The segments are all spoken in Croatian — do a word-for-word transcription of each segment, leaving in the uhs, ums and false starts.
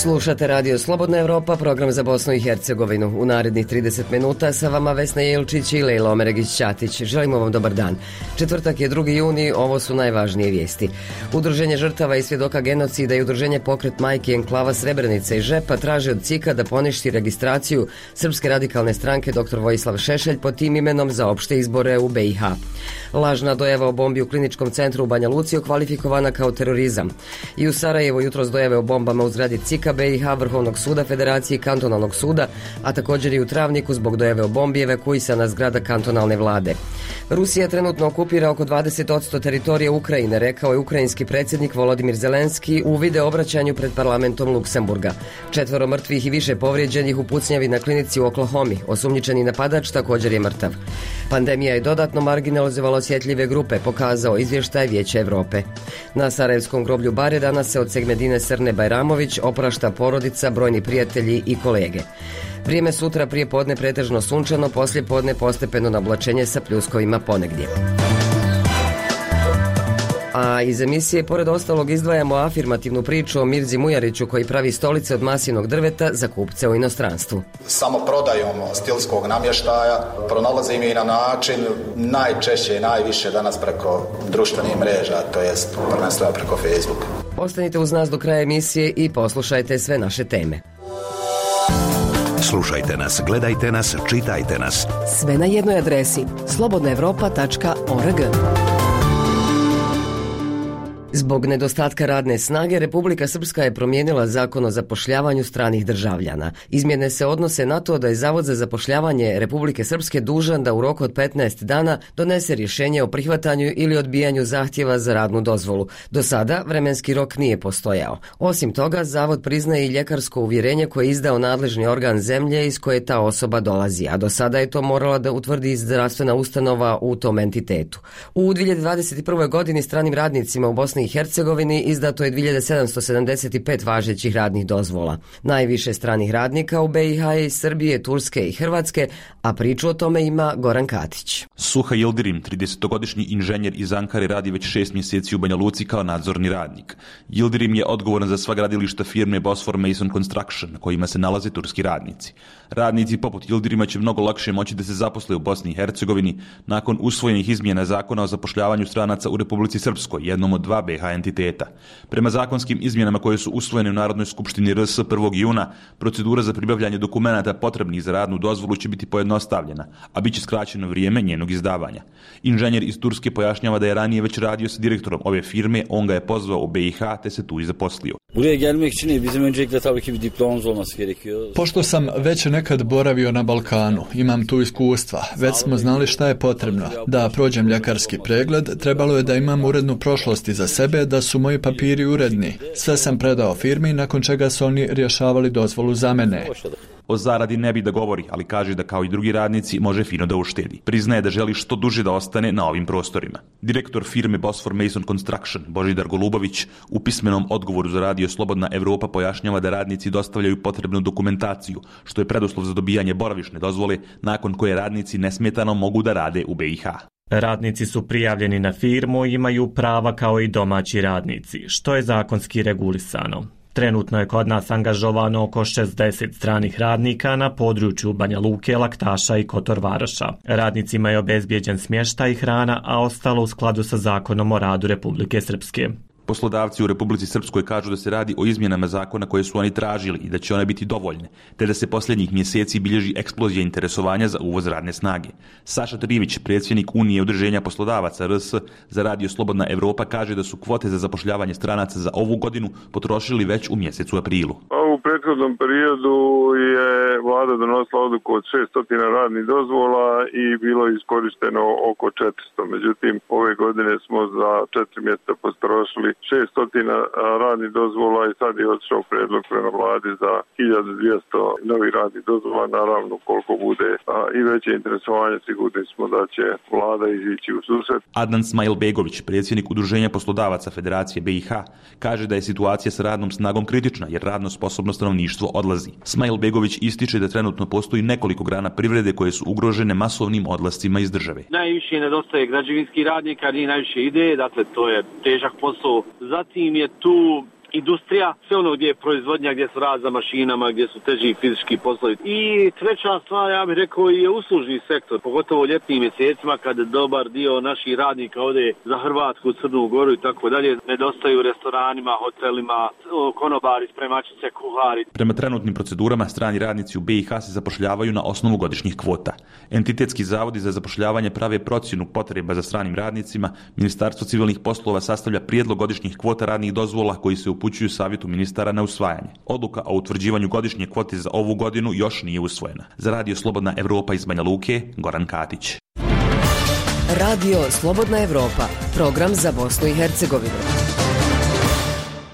Slušate Radio Slobodna Evropa, program za Bosnu i Hercegovinu. U narednih trideset minuta sa vama Vesna Jelčić i Lejla Omeregić-Ćatić. Želimo vam dobar dan. Četvrtak je drugi juni, ovo su najvažnije vijesti. Udruženje žrtava i svjedoka genocida i udruženje Pokret majki enklava Srebrenica i Žepa traže od C I K-a da poništi registraciju Srpske radikalne stranke dr Vojislav Šešelj pod tim imenom za opšte izbore u B i H. Lažna dojava o bombi u kliničkom centru u Banja Luci okvalifikovana kao terorizam. I u Sarajevu jutros dojave o bombama u zgradi C I K-a B i H, Vrhovnog suda Federacije i Kantonalnog suda, a također i u Travniku zbog dojave o bombi evakuisana zgrada kantonalne vlade. Rusija trenutno okupira oko dvadeset posto teritorije Ukrajine, rekao je ukrajinski predsjednik Volodimir Zelenski u video obraćanju pred parlamentom Luksemburga. Četvoro mrtvih i više povrijeđenih u pucnjavi na klinici u Oklahomi. Osumnjičeni napadač također je mrtav. Pandemija je dodatno marginalizovala osjetljive grupe, pokazao izvještaj Vijeća Evrope. Na sarajevskom groblju Bare danas se od Segmedine Srne Bajramović oprašta porodica, brojni prijatelji i kolege. Vrijeme sutra prije podne pretežno sunčano, poslije podne postepeno nablačenje sa pljuskovima ponegdje. A iz emisije pored ostalog izdvajamo afirmativnu priču o Mirzi Mujariću koji pravi stolice od maslinog drveta za kupce u inostranstvu. Samo prodajom stilskog namještaja pronalazim i na način najčešće i najviše danas preko društvenih mreža, to jest prvenstveno preko Facebooka. Ostanite uz nas do kraja emisije i poslušajte sve naše teme. Slušajte nas, gledajte nas, čitajte nas. Sve na jednoj adresi slobodna evropa tačka org. Zbog nedostatka radne snage, Republika Srpska je promijenila zakon o zapošljavanju stranih državljana. Izmjene se odnose na to da je Zavod za zapošljavanje Republike Srpske dužan da u roku od petnaest dana donese rješenje o prihvatanju ili odbijanju zahtjeva za radnu dozvolu. Do sada vremenski rok nije postojao. Osim toga, Zavod priznaje i ljekarsko uvjerenje koje je izdao nadležni organ zemlje iz koje ta osoba dolazi, a do sada je to morala da utvrdi zdravstvena ustanova u tom entitetu. U dvije hiljade dvadeset prve. godini stranim radnicima u Bosni i Hercegovini izdato je dvije hiljade sedamsto sedamdeset pet važećih radnih dozvola. Najviše stranih radnika u B i H je iz Srbije, Turske i Hrvatske, a priču o tome ima Goran Katić. Suha Yildirim, tridesetogodišnji inženjer iz Ankare, radi već šest mjeseci u Banja Luci kao nadzorni radnik. Yildirim je odgovoran za sva gradilišta firme Bosfor Mason Construction, na kojima se nalaze turski radnici. Radnici poput Yildirima će mnogo lakše moći da se zaposle u Bosni i Hercegovini nakon usvojenih izmjena zakona o zapošljavanju stranaca u Republici Srpskoj, jednom od dva B i H entiteta. Prema zakonskim izmjenama koje su usvojene u Narodnoj skupštini R S prvog juna, procedura za pribavljanje dokumenata potrebnih za radnu dozvolu će biti pojednostavljena, a bit će skraćeno vrijeme njenog izdavanja. Inženjer iz Turske pojašnjava da je ranije već radio sa direktorom ove firme, on ga je pozvao u B i H te se tu i zaposlio. Buraya gelmek için bizim öncelikle tabii ki bir diplomamız olması gerekiyor. Pošto sam već nekad boravio na Balkanu, imam tu iskustva, već smo znali šta je potrebno. Da prođem ljekarski pregled, trebalo je da imam urednu prošlost iza sebe, da su moji papiri uredni. Sve sam predao firmi, nakon čega su oni rješavali dozvolu za mene. O zaradi ne bi da govori, ali kaže da kao i drugi radnici može fino da uštedi. Priznaje da želi što duže da ostane na ovim prostorima. Direktor firme Bosfor Mason Construction, Božidar Golubović, u pismenom odgovoru za Radio Slobodna Evropa pojašnjava da radnici dostavljaju potrebnu dokumentaciju, što je preduslov za dobijanje boravišne dozvole, nakon koje radnici nesmetano mogu da rade u B i H. Radnici su prijavljeni na firmu i imaju prava kao i domaći radnici, što je zakonski regulisano. Trenutno je kod nas angažovano oko šezdeset stranih radnika na području Banja Luke, Laktaša i Kotor Varoša. Radnicima je obezbijeđen smještaj i hrana, a ostalo u skladu sa zakonom o radu Republike Srpske. Poslodavci u Republici Srpskoj kažu da se radi o izmjenama zakona koje su oni tražili i da će one biti dovoljne, te da se posljednjih mjeseci bilježi eksplozija interesovanja za uvoz radne snage. Saša Trivić, predsjednik Unije udruženja poslodavaca R S za Radio Slobodna Evropa, kaže da su kvote za zapošljavanje stranaca za ovu godinu potrošili već u mjesecu aprilu. U prethodnom periodu je vlada donosila odluku od šesto radnih dozvola i bilo je iskorišteno oko četiristo. Međutim, ove godine smo za četiri mjeseca potrošili šesto radnih dozvola i sad je odšao predlog prema vladi za hiljadu dvjesto novih radnih dozvola. Naravno, koliko bude a, i veće interesovanje, sigurni smo da će vlada izići u susret. Adnan Smajlbegović, predsjednik udruženja poslodavaca Federacije B i H, kaže da je situacija sa radnom snagom kritična jer radno sposobno stanovništvo odlazi. Smajlbegović ističe da trenutno postoji nekoliko grana privrede koje su ugrožene masovnim odlascima iz države. Najviše nedostaje građevinskih radnika, nije najviše ide, dakle to je težak posao. Zatim je tu industrija, sve ono gdje je proizvodnja, gdje su rad za mašinama, gdje su teži fizički poslovi. I treća stvar, ja bih rekao, je uslužni sektor, pogotovo u ljetnim mjesecima kad dobar dio naših radnika ode za Hrvatsku, Crnu Goru i tako dalje, nedostaju u restoranima, hotelima, konobari, spremačice, kuhari. Prema trenutnim procedurama, strani radnici u B i H se zapošljavaju na osnovu godišnjih kvota. Entitetski zavodi za zapošljavanje prave procjenu potreba za stranim radnicima, Ministarstvo civilnih poslova sastavlja prijedlog godišnjih kvota radnih dozvola koji se upućuju savjetu ministara na usvajanje. Odluka o utvrđivanju godišnje kvote za ovu godinu još nije usvojena. Za Radio Slobodna Evropa iz Banja Luke, Goran Katić. Radio Slobodna Evropa, program za Bosnu i Hercegovinu.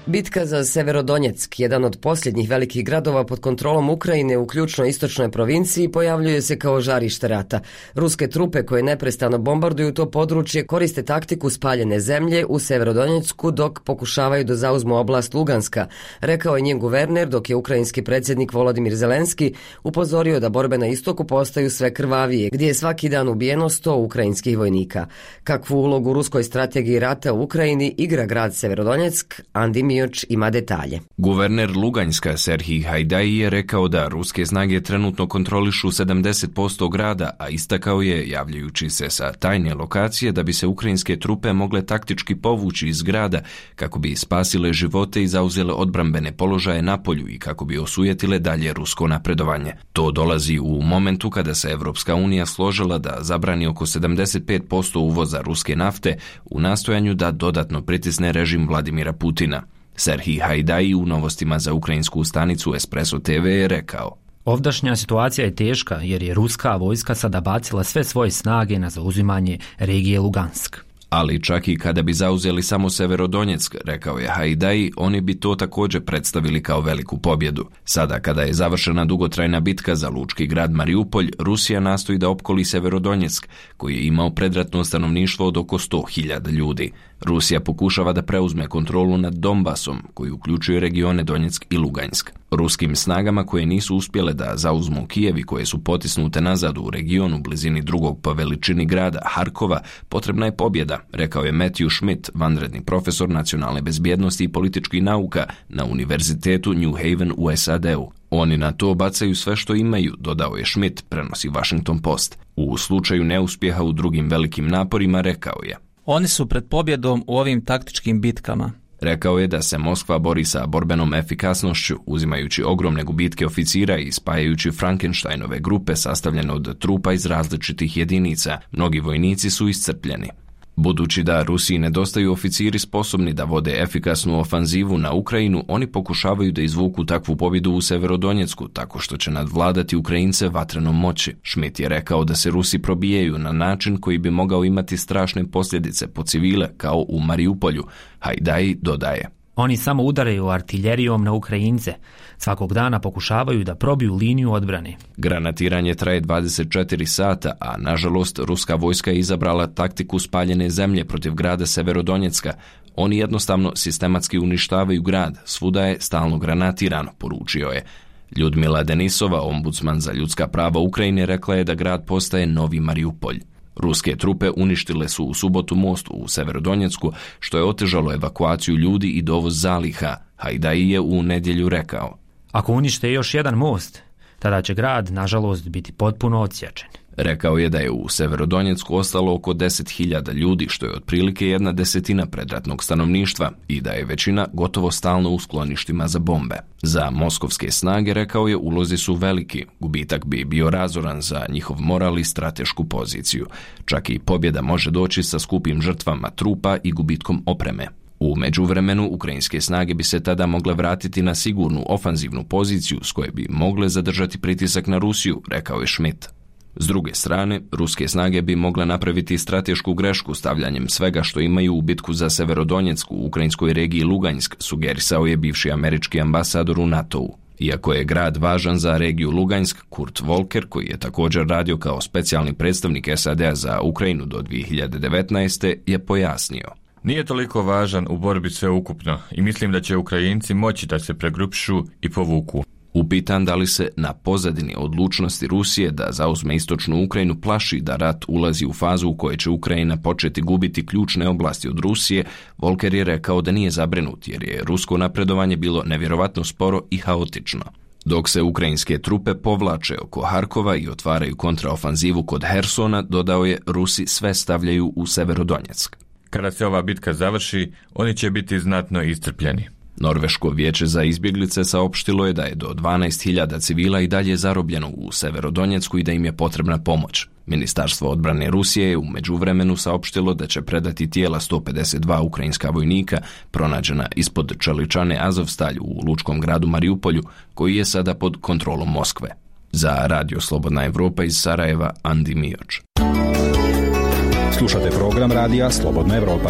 Bitka za Severodonjeck, jedan od posljednjih velikih gradova pod kontrolom Ukrajine u ključnoj istočnoj provinciji, pojavljuje se kao žarište rata. Ruske trupe koje neprestano bombarduju to područje koriste taktiku spaljene zemlje u Severodonjecku dok pokušavaju da zauzmu oblast Luganska, rekao je njen guverner, dok je ukrajinski predsjednik Volodimir Zelenski upozorio da borbe na istoku postaju sve krvavije, gdje je svaki dan ubijeno sto ukrajinskih vojnika. Kakvu ulogu u ruskoj strategiji rata u Ukrajini igra grad Severodonjeck, Andi Mioč ima detalje. Guverner Luganjska Serhij Hajdaji je rekao da ruske snage trenutno kontrolišu sedamdeset posto grada, a istakao je, javljajući se sa tajne lokacije, da bi se ukrajinske trupe mogle taktički povući iz grada kako bi spasile živote i zauzele odbrambene položaje na polju i kako bi osujetile dalje rusko napredovanje. To dolazi u momentu kada se Evropska unija složila da zabrani oko sedamdeset pet posto uvoza ruske nafte u nastojanju da dodatno pritisne režim Vladimira Putina. Serhij Hajdaji u novostima za ukrajinsku stanicu Espresso te ve je rekao: Ovdašnja situacija je teška jer je ruska vojska sada bacila sve svoje snage na zauzimanje regije Lugansk. Ali čak i kada bi zauzeli samo Severodonjeck, rekao je Hajdaji, oni bi to također predstavili kao veliku pobjedu. Sada kada je završena dugotrajna bitka za lučki grad Mariupolj, Rusija nastoji da opkoli Severodonjeck, koji je imao predratno stanovništvo od oko sto hiljada ljudi. Rusija pokušava da preuzme kontrolu nad Donbasom, koji uključuje regione Donjeck i Lugansk. Ruskim snagama koje nisu uspjele da zauzmu Kijev i koje su potisnute nazad u regionu blizini drugog po veličini grada Harkova, potrebna je pobjeda, rekao je Matthew Schmidt, vanredni profesor nacionalne bezbjednosti i političkih nauka na Univerzitetu New Haven u es a de u. Oni na to bacaju sve što imaju, dodao je Schmidt, prenosi Washington Post. U slučaju neuspjeha u drugim velikim naporima, rekao je: Oni su pred pobjedom u ovim taktičkim bitkama. Rekao je da se Moskva bori sa borbenom efikasnošću, uzimajući ogromne gubitke oficira i spajajući Frankensteinove grupe sastavljene od trupa iz različitih jedinica. Mnogi vojnici su iscrpljeni. Budući da Rusiji nedostaju oficiri sposobni da vode efikasnu ofanzivu na Ukrajinu, oni pokušavaju da izvuku takvu pobjedu u Severodonjecku tako što će nadvladati Ukrajince vatrenom moći. Schmidt je rekao da se Rusi probijaju na način koji bi mogao imati strašne posljedice po civile kao u Mariupolju. Hajdaji dodaje: Oni samo udaraju artiljerijom na Ukrajince. Svakog dana pokušavaju da probiju liniju odbrane. Granatiranje traje dvadeset četiri sata, a nažalost ruska vojska je izabrala taktiku spaljene zemlje protiv grada Severodonjecka. Oni jednostavno sistematski uništavaju grad, svuda je stalno granatirano, poručio je. Ljudmila Denisova, ombudsman za ljudska prava Ukrajine, rekla je da grad postaje novi Mariupolj. Ruske trupe uništile su u subotu most u Severodonjecku, što je otežalo evakuaciju ljudi i dovoz zaliha. Hajdaji je u nedjelju rekao: Ako unište još jedan most, tada će grad, nažalost, biti potpuno odsječen. Rekao je da je u Severodonjecku ostalo oko deset hiljada ljudi, što je otprilike jedna desetina predratnog stanovništva, i da je većina gotovo stalno u skloništima za bombe. Za moskovske snage, rekao je, ulozi su veliki, gubitak bi bio razoran za njihov moral i stratešku poziciju. Čak i pobjeda može doći sa skupim žrtvama trupa i gubitkom opreme. U međuvremenu, ukrajinske snage bi se tada mogle vratiti na sigurnu ofanzivnu poziciju s koje bi mogle zadržati pritisak na Rusiju, rekao je Schmidt. S druge strane, ruske snage bi mogle napraviti stratešku grešku stavljanjem svega što imaju u bitku za Severodonjecku u ukrajinskoj regiji Lugansk, sugerisao je bivši američki ambasador u NATO-u. Iako je grad važan za regiju Lugansk, Kurt Volker, koji je također radio kao specijalni predstavnik es a de a za Ukrajinu do dvije hiljade devetnaeste. je pojasnio: Nije toliko važan u borbi sveukupno i mislim da će Ukrajinci moći da se pregrupšu i povuku. Upitan da li se na pozadini odlučnosti Rusije da zauzme istočnu Ukrajinu plaši da rat ulazi u fazu u kojoj će Ukrajina početi gubiti ključne oblasti od Rusije, Volker je rekao da nije zabrinut jer je rusko napredovanje bilo nevjerovatno sporo i haotično. Dok se ukrajinske trupe povlače oko Harkova i otvaraju kontraofanzivu kod Hersona, dodao je, Rusi sve stavljaju u Severodonjeck. Kada se ova bitka završi, oni će biti znatno iscrpljeni. Norveško vijeće za izbjeglice saopštilo je da je do dvanaest hiljada civila i dalje zarobljeno u Severodonjecku i da im je potrebna pomoć. Ministarstvo odbrane Rusije je u međuvremenu saopštilo da će predati tijela sto pedeset dva ukrajinska vojnika pronađena ispod čeličane Azovstalj u lučkom gradu Mariupolju, koji je sada pod kontrolom Moskve. Za Radio Slobodna Evropa iz Sarajeva, Andi Mioč. Slušate program Radija Slobodna Evropa.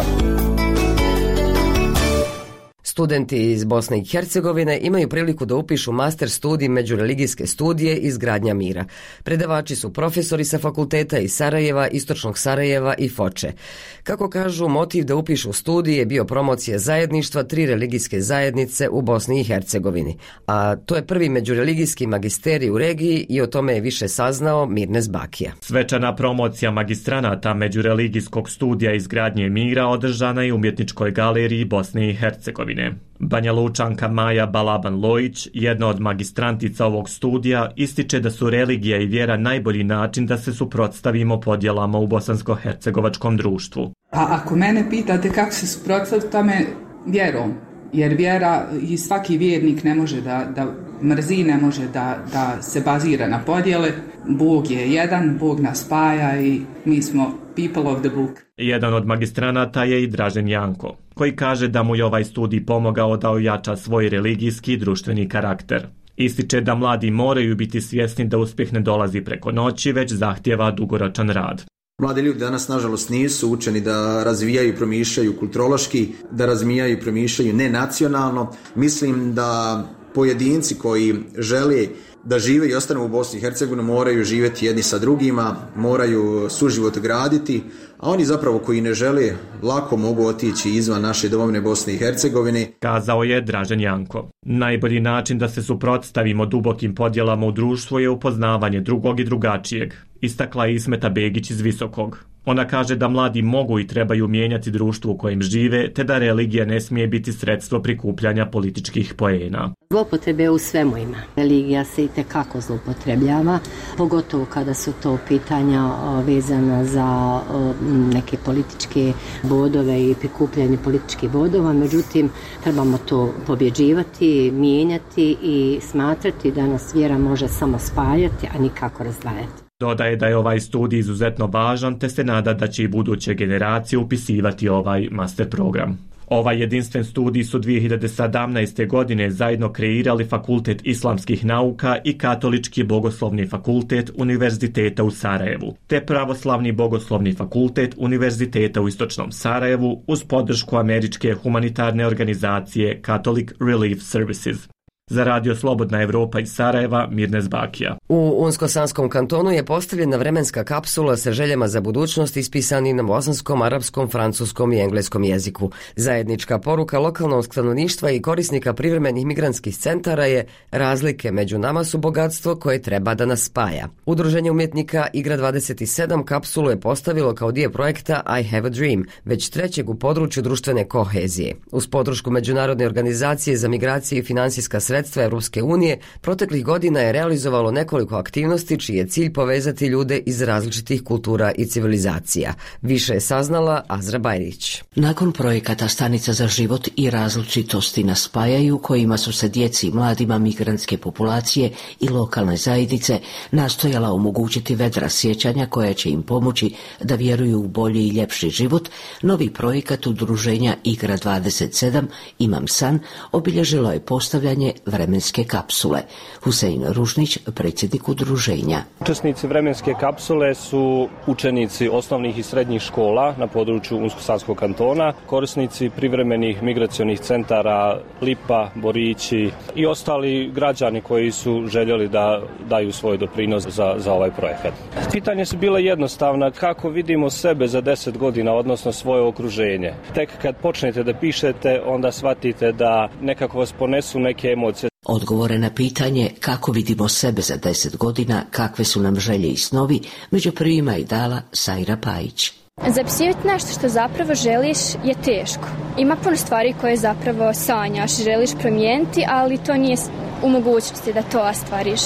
Studenti iz Bosne i Hercegovine imaju priliku da upišu master studij međureligijske studije izgradnja mira. Predavači su profesori sa fakulteta iz Sarajeva, Istočnog Sarajeva i Foče. Kako kažu, motiv da upišu studij je bio promocija zajedništva tri religijske zajednice u Bosni i Hercegovini. A to je prvi međureligijski magisterij u regiji i o tome je više saznao Mirnes Bakija. Svečana promocija magistranata međureligijskog studija izgradnje mira održana je u Umjetničkoj galeriji Bosne i Hercegovine. Banja Lučanka Maja Balaban-Lojić, jedna od magistrantica ovog studija, ističe da su religija i vjera najbolji način da se suprotstavimo podjelama u bosansko-hercegovačkom društvu. A ako mene pitate kako se suprotstaviti tome, vjerom. Jer vjera i svaki vjernik ne može da, da mrzi, ne može da, da se bazira na podjele. Bog je jedan, Bog nas spaja i mi smo people of the book. Jedan od magistranata je i Dražen Janko, koji kaže da mu je ovaj studij pomogao da ojača svoj religijski i društveni karakter. Ističe da mladi moraju biti svjesni da uspjeh ne dolazi preko noći, već zahtijeva dugoročan rad. Mladi ljudi danas, nažalost, nisu učeni da razvijaju i promišljaju kulturološki, da razvijaju i promišljaju nenacionalno. Mislim da pojedinci koji žele da žive i ostanu u Bosni i Hercegovini moraju živjeti jedni sa drugima, moraju suživot graditi, a oni zapravo koji ne žele lako mogu otići izvan naše domovine Bosne i Hercegovine. Kazao je Dražen Janko. Najbolji način da se suprotstavimo dubokim podjelama u društvu je upoznavanje drugog i drugačijeg, istakla je Ismeta Begić iz Visokog. Ona kaže da mladi mogu i trebaju mijenjati društvo u kojem žive, te da religija ne smije biti sredstvo prikupljanja političkih poena. Zloupotrebe u svemu ima. Religija se i tekako zloupotrebljava, pogotovo kada su to pitanja vezana za neke političke bodove i prikupljanje političkih bodova. Međutim, trebamo to pobjeđivati, mijenjati i smatrati da nas vjera može samo spajati, a nikako razdvajati. Dodaje da je ovaj studij izuzetno važan, te se nada da će i buduće generacije upisivati ovaj master program. Ovaj jedinstven studij su dvije hiljade sedamnaeste. godine zajedno kreirali Fakultet islamskih nauka i Katolički bogoslovni fakultet Univerziteta u Sarajevu, te Pravoslavni bogoslovni fakultet Univerziteta u Istočnom Sarajevu uz podršku američke humanitarne organizacije Catholic Relief Services. Za Radio Slobodna Evropa iz Sarajeva, Mirnes Bakija. U Unsko-Sanskom kantonu je postavljena vremenska kapsula sa željama za budućnost ispisani na bosanskom, arapskom, francuskom i engleskom jeziku. Zajednička poruka lokalnog stanovništva i korisnika privremenih migrantskih centara je: razlike među nama su bogatstvo koje treba da nas spaja. Udruženje umjetnika Igra dvadeset sedam kapsulu je postavilo kao dio projekta I Have a Dream, već trećeg u području društvene kohezije. Uz podršku Međunarodne organizacije za migracije i financijska sredstva Sredstva Europske unije proteklih godina je realizovalo nekoliko aktivnosti čiji je cilj povezati ljude iz različitih kultura i civilizacija. Više je saznala Azra Bajrić. Nakon projekata Stanica za život i različitosti nas spajaju, kojima su se djeci i mladima migrantske populacije i lokalne zajednice nastojala omogućiti vedra sjećanja koja će im pomoći da vjeruju u bolji i ljepši život, novi projekat udruženja Igra dvadeset sedam Imam san obilježilo je postavljanje vremenske kapsule. Husein Ružnić, predsjednik udruženja. Učesnici vremenske kapsule su učenici osnovnih i srednjih škola na području Unsko-Sanskog kantona, korisnici privremenih migracionih centara Lipa, Borići i ostali građani koji su željeli da daju svoj doprinos za, za ovaj projekat. Pitanje su bile jednostavna: kako vidimo sebe za deset godina, odnosno svoje okruženje. Tek kad počnete da pišete, onda shvatite da nekako vas ponesu neke emocije. Odgovore na pitanje kako vidimo sebe za deset godina, kakve su nam želje i snovi, među prvima je dala Sajra Pajić. Zapisivati nešto što zapravo želiš je teško. Ima puno stvari koje zapravo sanjaš, želiš promijeniti, ali to nije u mogućnosti da to ostvariš.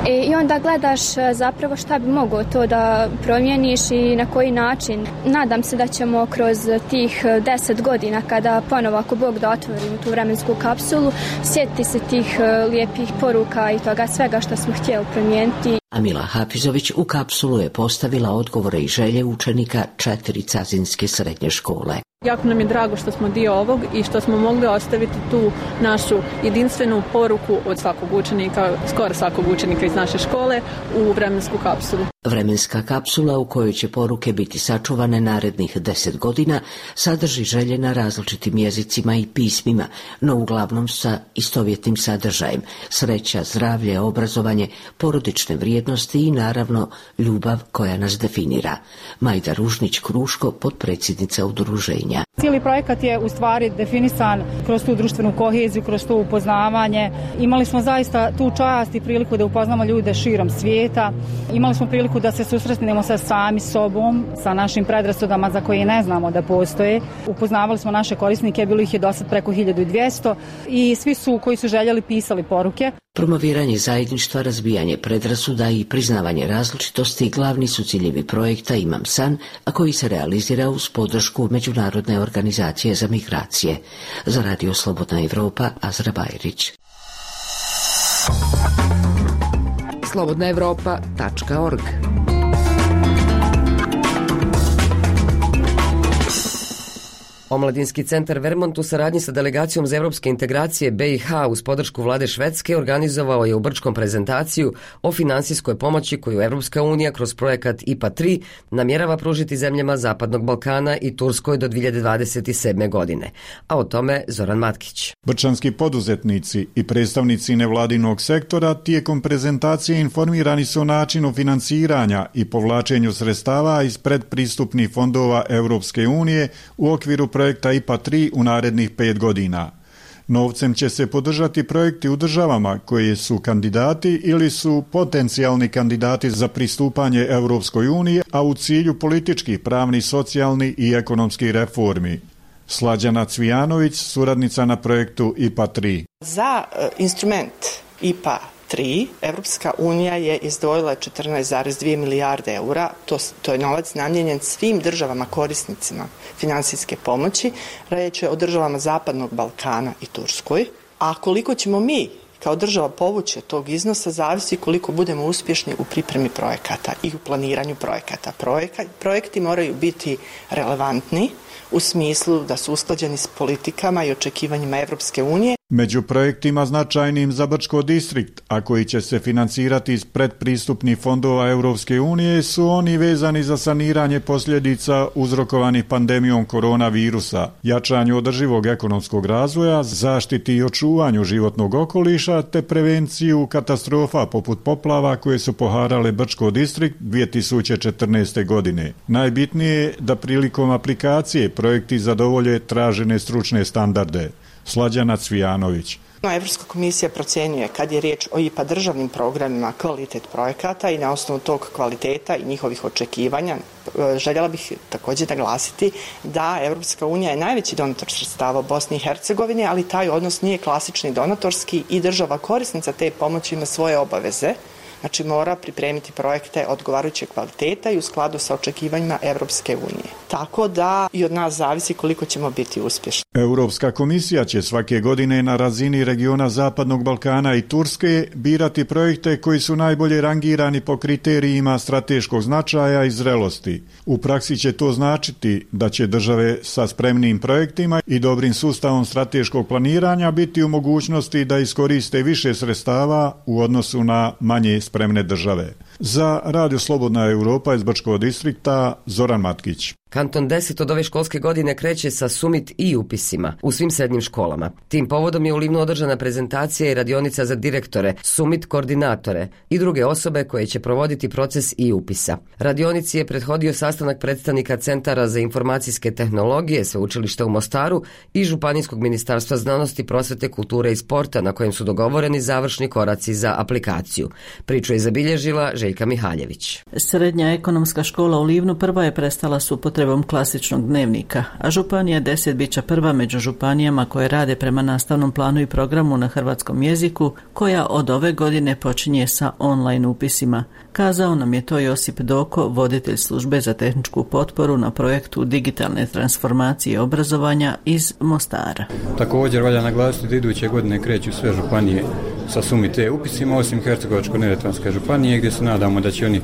E, I onda gledaš zapravo šta bi moglo to da promijeniš i na koji način. Nadam se da ćemo kroz tih deset godina, kada ponovo ako Bog da otvorimo tu vremensku kapsulu, sjetiti se tih lijepih poruka i toga svega što smo htjeli promijeniti. Amila Hafizović u kapsulu je postavila odgovore i želje učenika četiri cazinske srednje škole. Jako nam je drago što smo dio ovog i što smo mogli ostaviti tu našu jedinstvenu poruku od svakog učenika, skoro svakog učenika iz naše škole u vremensku kapsulu. Vremenska kapsula u kojoj će poruke biti sačuvane narednih deset godina sadrži želje na različitim jezicima i pismima, no uglavnom sa istovjetnim sadržajem: sreća, zdravlje, obrazovanje, porodične vrijednosti i naravno ljubav koja nas definira. Majda Ružnić-Kruško, potpredsjednica udruženja. Cijeli projekat je u stvari definisan kroz tu društvenu koheziju, kroz to upoznavanje. Imali smo zaista tu čast i priliku da upoznamo ljude širom svijeta. Imali smo priliku da se susretnemo sa sami sobom, sa našim predrasudama za koje ne znamo da postoje. Upoznavali smo naše korisnike, bilo ih je dosad preko hiljadu dvjesto i svi su koji su željeli pisali poruke. Promoviranje zajedništva, razbijanje predrasuda i priznavanje različitosti glavni su ciljevi projekta Imam san, a koji se realizira uz podršku Međunarodne organizacije za migracije. Za Radio Slobodna Evropa, Azra Bajrić. slobodna evropa tačka org. Omladinski centar Vermont u saradnji sa delegacijom za evropske integracije B i H uz podršku vlade Švedske organizovao je u Brčkom prezentaciju o finansijskoj pomoći koju Evropska unija kroz projekat I P A tri namjerava pružiti zemljama Zapadnog Balkana i Turskoj do dvije hiljade dvadeset sedme. godine. A o tome Zoran Matkić. Brčanski poduzetnici i predstavnici nevladinog sektora tijekom prezentacije informirani su o načinu financiranja i povlačenju sredstava iz predpristupnih fondova Evropske unije u okviru projekta I P A tri u narednih pet godina. Novcem će se podržati projekti u državama koje su kandidati ili su potencijalni kandidati za pristupanje Evropskoj uniji, a u cilju političkih, pravnih, socijalnih i ekonomskih reformi. Slađana Cvijanović, suradnica na projektu I P A tri. Za uh, instrument I P A tri Evropska unija je izdvojila četrnaest zarez dvije milijarde eura, to, to je novac namijenjen svim državama korisnicima finansijske pomoći, riječ je o državama Zapadnog Balkana i Turskoj, a koliko ćemo mi kao država povući od tog iznosa zavisi koliko budemo uspješni u pripremi projekata i u planiranju projekata. Projekat, projekti moraju biti relevantni u smislu da su usklađeni s politikama i očekivanjima Evropske unije. Među projektima značajnim za Brčko distrikt, a koji će se financirati iz predpristupnih fondova Evropske unije, su oni vezani za saniranje posljedica uzrokovanih pandemijom koronavirusa, jačanju održivog ekonomskog razvoja, zaštiti i očuvanju životnog okoliša te prevenciju katastrofa poput poplava koje su poharale Brčko distrikt dvije tisuće četrnaeste. godine. Najbitnije je da prilikom aplikacije projekti zadovolje tražene stručne standarde. Slađana Cvijanović. Evropska komisija procjenjuje kad je riječ o I P A državnim programima kvalitet projekata i na osnovu tog kvaliteta i njihovih očekivanja željela bih također naglasiti da Evropska unija je najveći donator sredstava u Bosni i Hercegovini, ali taj odnos nije klasični donatorski i država korisnica te pomoći ima svoje obaveze. Znači mora pripremiti projekte odgovarajućeg kvaliteta i u skladu sa očekivanjima Evropske unije. Tako da i od nas zavisi koliko ćemo biti uspješni. Europska komisija će svake godine na razini regiona Zapadnog Balkana i Turske birati projekte koji su najbolje rangirani po kriterijima strateškog značaja i zrelosti. U praksi će to značiti da će države sa spremnim projektima i dobrim sustavom strateškog planiranja biti u mogućnosti da iskoriste više sredstava u odnosu na manje spremne države. Za Radio Slobodna Europa iz Brčkog distrikta Zoran Matkić. Kanton deset od ove školske godine kreće sa Summit i upisima u svim srednjim školama. Tim povodom je u Livnu održana prezentacija i radionica za direktore, Summit koordinatore i druge osobe koje će provoditi proces i upisa. Radionici je prethodio sastanak predstavnika Centara za informacijske tehnologije Sveučilišta u Mostaru i Županijskog ministarstva znanosti, prosvete, kulture i sporta, na kojem su dogovoreni završni koraci za aplikaciju. Priču je zabilježila Željka Mihaljević. Srednja ekonomska škola u Livnu prva je prestala s upotrebom klasičnog dnevnika, a županija deset bića prva među županijama koje rade prema nastavnom planu i programu na hrvatskom jeziku, koja od ove godine počinje sa online upisima. Kazao nam je to Josip Doko, voditelj službe za tehničku potporu na projektu digitalne transformacije obrazovanja iz Mostara. Također valja naglasiti da iduće godine kreću sve županije sa Summit E upisima, osim Hercegovačko-neretvanske županije, gdje se nadamo da će oni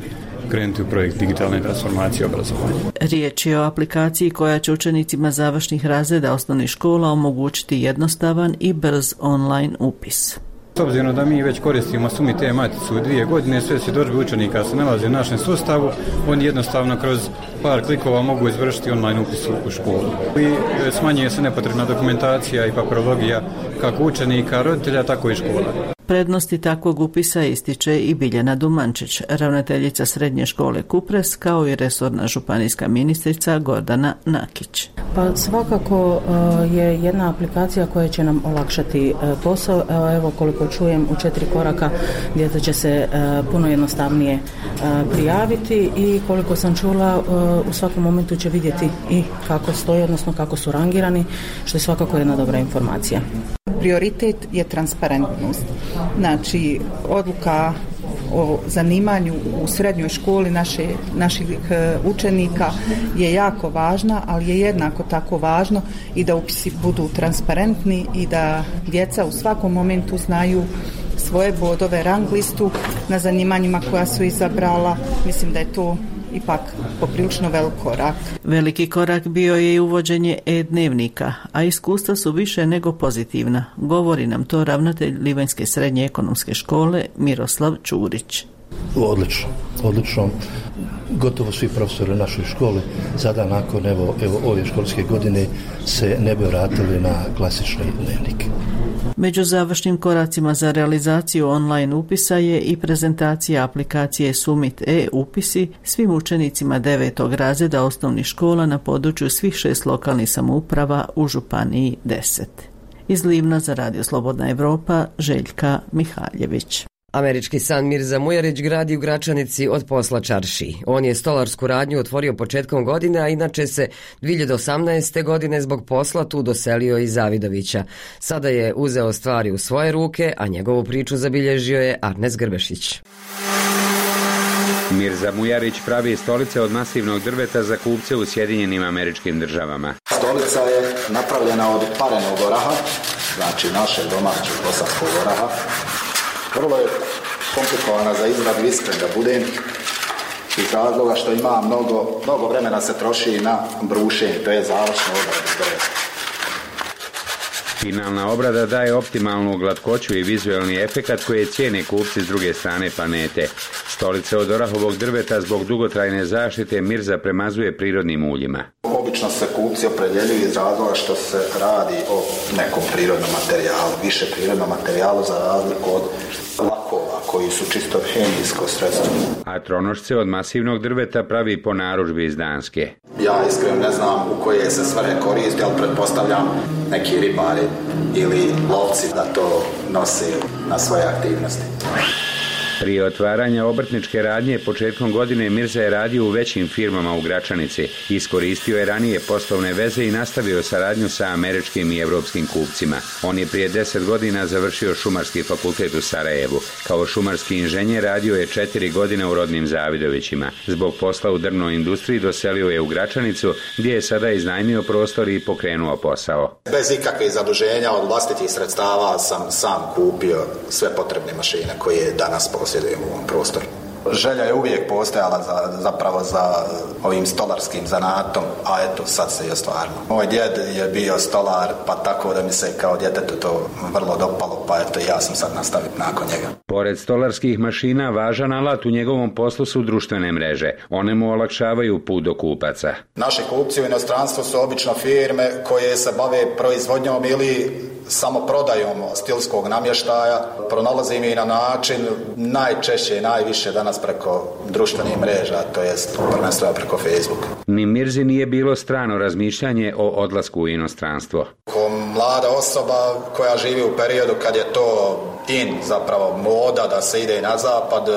krenuti u projekt digitalne transformacije obrazovanja. Riječ je o aplikaciji koja će učenicima završnih razreda osnovnih škola omogućiti jednostavan i brz online upis. S obzirom da mi već koristimo Summit E maticu u dvije godine, sve svjedodžbe učenika se nalaze u našem sustavu, oni jednostavno kroz par klikova mogu izvršiti online upis u školu. I smanjuje se nepotrebna dokumentacija i papirologija kako učenika, roditelja, tako i škola. Prednosti takvog upisa ističe i Biljana Dumančić, ravnateljica srednje škole Kupres, kao i resorna županijska ministrica Gordana Nakić. Pa svakako je jedna aplikacija koja će nam olakšati posao. Evo koliko čujem, u četiri koraka djeca će se puno jednostavnije prijaviti i koliko sam čula, u svakom momentu će vidjeti i kako stoji, odnosno kako su rangirani, što je svakako jedna dobra informacija. Prioritet je transparentnost. Znači, odluka o zanimanju u srednjoj školi naše, naših učenika je jako važna, ali je jednako tako važno i da upisi budu transparentni i da djeca u svakom momentu znaju svoje bodove, rang listu na zanimanjima koja su izabrala. Mislim da je to ipak poprilično velik korak. Veliki korak bio je i uvođenje e-dnevnika, a iskustva su više nego pozitivna. Govori nam to ravnatelj Livanjske srednje ekonomske škole Miroslav Čurić. Odlično, odlično. Gotovo svi profesori u našoj školi sada nakon evo, evo ove školske godine se ne bi vratili na klasični dnevnik. Među završnim koracima za realizaciju online upisa je i prezentacija aplikacije Summit E upisi svim učenicima devetog razreda osnovnih škola na području svih šest lokalnih samouprava u županiji deset. Iz Livna za Radio Slobodna Evropa, Željka Mihaljević. Američki san Mirza Mujarić gradi u Gračanici od posla čarši. On je stolarsku radnju otvorio početkom godine, a inače se dvije hiljade osamnaeste. godine zbog posla tu doselio iz Zavidovića. Sada je uzeo stvari u svoje ruke, a njegovu priču zabilježio je Arnes Grbešić. Mirza Mujarić pravi stolice od masivnog drveta za kupce u Sjedinjenim Američkim Državama. Stolica je napravljena od parenog oraha, znači našeg domaćeg bosanskog oraha. Vrlo je komplikovana za izradu, iskren da budem, iz razloga što ima mnogo, mnogo vremena se troši na brušenje, to je završna obrada drveta. Finalna obrada daje optimalnu glatkoću i vizualni efekat koje cijene kupci s druge strane planete. Stolice od orahovog drveta zbog dugotrajne zaštite Mirza premazuje prirodnim uljima. Obično se kupci opredjeljuju iz razloga što se radi o nekom prirodnom materijalu, više prirodnom materijalu za razliku od lakova koji su čisto hemijsko sredstvo. A tronošce od masivnog drveta pravi po narudžbi iz Danske. Ja iskreno ne znam u koje se svrhe koristi, ali pretpostavljam neki ribari ili lovci da to nose na svoje aktivnosti. Prije otvaranja obrtničke radnje početkom godine Mirza je radio u većim firmama u Gračanici. Iskoristio je ranije poslovne veze i nastavio saradnju sa američkim i evropskim kupcima. On je prije deset godina završio šumarski fakultet u Sarajevu. Kao šumarski inženjer radio je četiri godine u rodnim Zavidovićima. Zbog posla u drvnoj industriji doselio je u Gračanicu, gdje je sada iznajmio prostor i pokrenuo posao. Bez ikakvih zaduženja od vlastitih sredstava sam sam kupio sve potrebne mašine koje danas posjedujem u ovom prostoru. Želja je uvijek postojala za, zapravo za ovim stolarskim zanatom, a eto sad se je ostvarilo. Moj djed je bio stolar, pa tako da mi se kao djetetu to vrlo dopalo, pa eto ja sam sad nastavio nakon njega. Pored stolarskih mašina, važan alat u njegovom poslu su društvene mreže. One mu olakšavaju put do kupaca. Naši kupci u inostranstvu su obično firme koje se bave proizvodnjom ili samo prodajom stilskog namještaja. Pronalazim i na način najčešće i najviše danas preko društvenih mreža, to jest prvenstveno preko Facebooka. Ni Mirzi nije bilo strano razmišljanje o odlasku u inostranstvo. Ko mlada osoba koja živi u periodu kad je to in, zapravo moda da se ide i na zapad,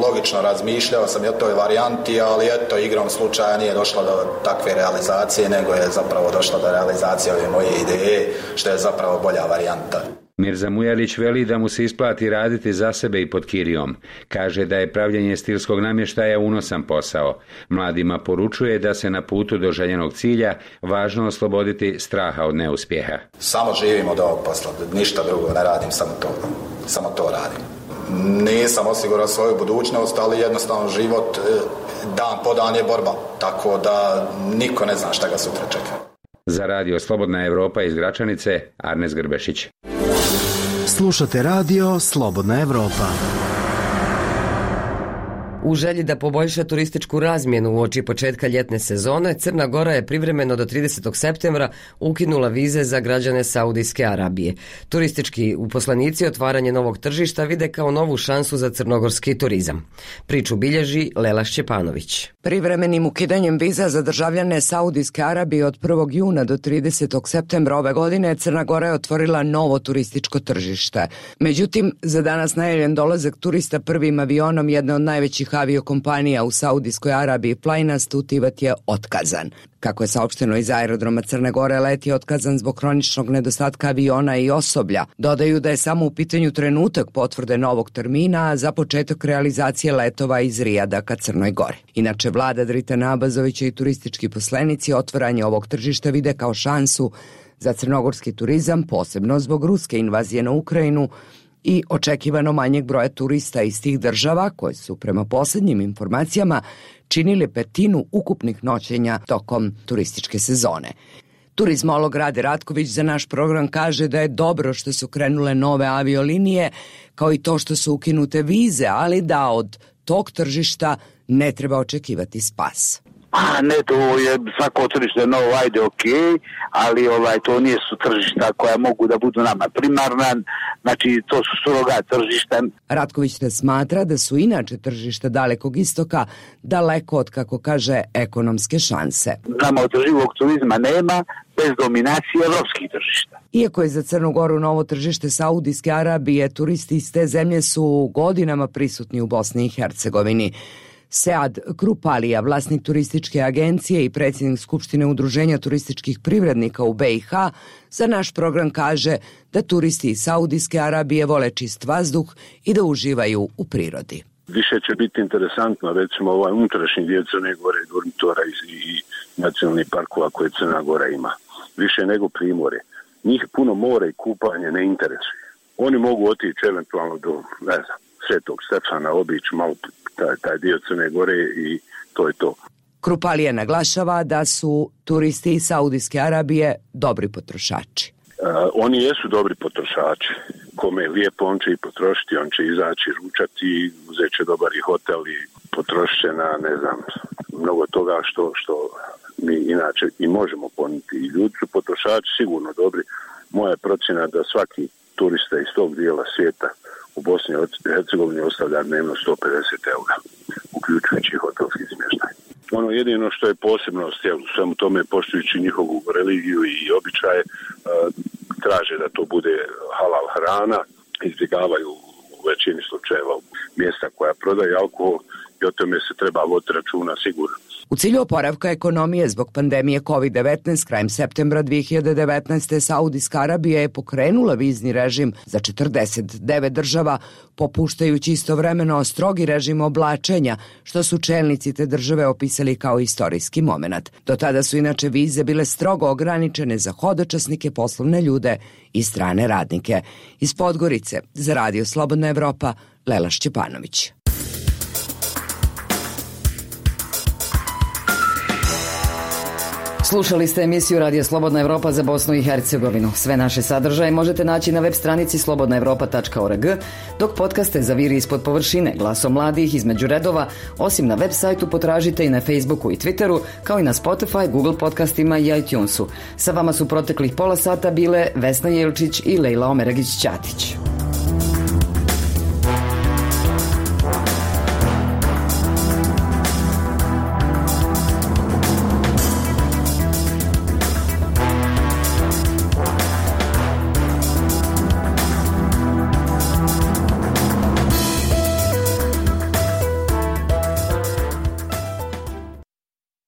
logično razmišljao sam i o toj varijanti, ali eto, igrom slučaja nije došlo do takve realizacije, nego je zapravo došlo do realizacije ove moje ideje, što je zapravo bolja varijanta. Mirza Mujalić veli da mu se isplati raditi za sebe i pod kirijom. Kaže da je pravljenje stilskog namještaja unosan posao. Mladima poručuje da se na putu do željenog cilja važno osloboditi straha od neuspjeha. Samo živim od ovog posla, ništa drugo ne radim, samo to, samo to radim. Nisam osigurao svoju budućnost, ali jednostavno život dan po dan je borba, tako da niko ne zna šta ga sutra čeka. Za radio Slobodna Evropa iz Gračanice, Arnes Grbešić. Slušate radio Slobodna Evropa. U želji da poboljša turističku razmjenu uoči početka ljetne sezone, Crna Gora je privremeno do tridesetog septembra ukinula vize za građane Saudijske Arabije. Turistički uposlenici otvaranje novog tržišta vide kao novu šansu za crnogorski turizam. Priču bilježi Lela Šćepanović. Privremenim ukidanjem viza za državljane Saudijske Arabije od prvog juna do tridesetog septembra ove godine Crna Gora je otvorila novo turističko tržište. Međutim, za danas najavljen dolazak turista prvim avionom jedne od najvećih aviokompanija u Saudijskoj Arabiji Flynas Tutivat je otkazan. Kako je saopšteno iz aerodroma Crne Gore, let je otkazan zbog hroničnog nedostatka aviona i osoblja. Dodaju da je samo u pitanju trenutak potvrde novog termina za početak realizacije letova iz Rijada ka Crnoj Gori. Inače, vlada Dritana Abazovića i turistički poslenici otvaranje ovog tržišta vide kao šansu za crnogorski turizam, posebno zbog ruske invazije na Ukrajinu i očekivano manjeg broja turista iz tih država koje su prema posljednjim informacijama činili petinu ukupnih noćenja tokom turističke sezone. Turizmolog Rade Ratković za naš program kaže da je dobro što su krenule nove aviolinije, kao i to što su ukinute vize, ali da od tog tržišta ne treba očekivati spas. A ne, to je svako tržište novo, ajde, ok, ali ovaj, to nije su tržišta koja mogu da budu nama primarna, znači to su surogat tržišta. Ratković ne smatra da su inače tržišta Dalekog istoka daleko od, kako kaže, ekonomske šanse. Nama održivog turizma nema bez dominacije evropskih tržišta. Iako je za Crnu Goru novo tržište Saudijske Arabije, turisti iz te zemlje su godinama prisutni u Bosni i Hercegovini. Sead Krupalija, vlasnik turističke agencije i predsjednik Skupštine Udruženja turističkih privrednika u be i ha, za naš program kaže da turisti iz Saudijske Arabije vole čist vazduh i da uživaju u prirodi. Više će biti interesantno, recimo, ovaj unutrašnji dio Crne Gore, dormitora i, i nacionalnih parkova koje Crna Gora ima. Više nego primorje. Njih puno more i kupanje ne interesuje. Oni mogu otići eventualno do, ne znam, Svetog Stefana, obići malo taj, taj dio Crne Gore i to je to. Krupalija naglašava da su turisti iz Saudijske Arabije dobri potrošači. Uh, oni jesu dobri potrošači. Kome je lijepo, on će i potrošiti, on će izaći, ručati, uzet će dobar i hotel i potrošit će na, ne znam, mnogo toga što, što mi inače i možemo ponuditi. I ljudi su potrošači sigurno dobri. Moja je procjena da svaki turista iz tog dijela svijeta u Bosni i Hercegovini ostavlja dnevno sto pedeset eura, uključujući hotelski smještaj. Ono jedino što je posebnost, jel, u svemu tome poštujući njihovu religiju i običaje, traže da to bude halal hrana, izbjegavaju u većini slučajeva mjesta koja prodaju alkohol i o tome se treba voditi računa sigurno. U cilju oporavka ekonomije zbog pandemije kovid devetnaest krajem septembra dvije hiljade devetnaeste. Saudijska Arabija je pokrenula vizni režim za četrdeset devet država, popuštajući istovremeno strogi režim oblačenja, što su čelnici te države opisali kao istorijski momenat. Do tada su inače vize bile strogo ograničene za hodočasnike, poslovne ljude i strane radnike. Iz Podgorice za radio Slobodna Evropa, Lela Šćepanović. Slušali ste emisiju Radija Slobodna Evropa za Bosnu i Hercegovinu. Sve naše sadržaje možete naći na web stranici slobodna evropa tačka org, dok podcaste za Viri ispod površine, Glasom mladih, Između redova, osim na web sajtu potražite i na Facebooku i Twitteru, kao i na Spotify, Google podcastima i iTunesu. Sa vama su proteklih pola sata bile Vesna Jelčić i Lejla Omeragić-Ćatić.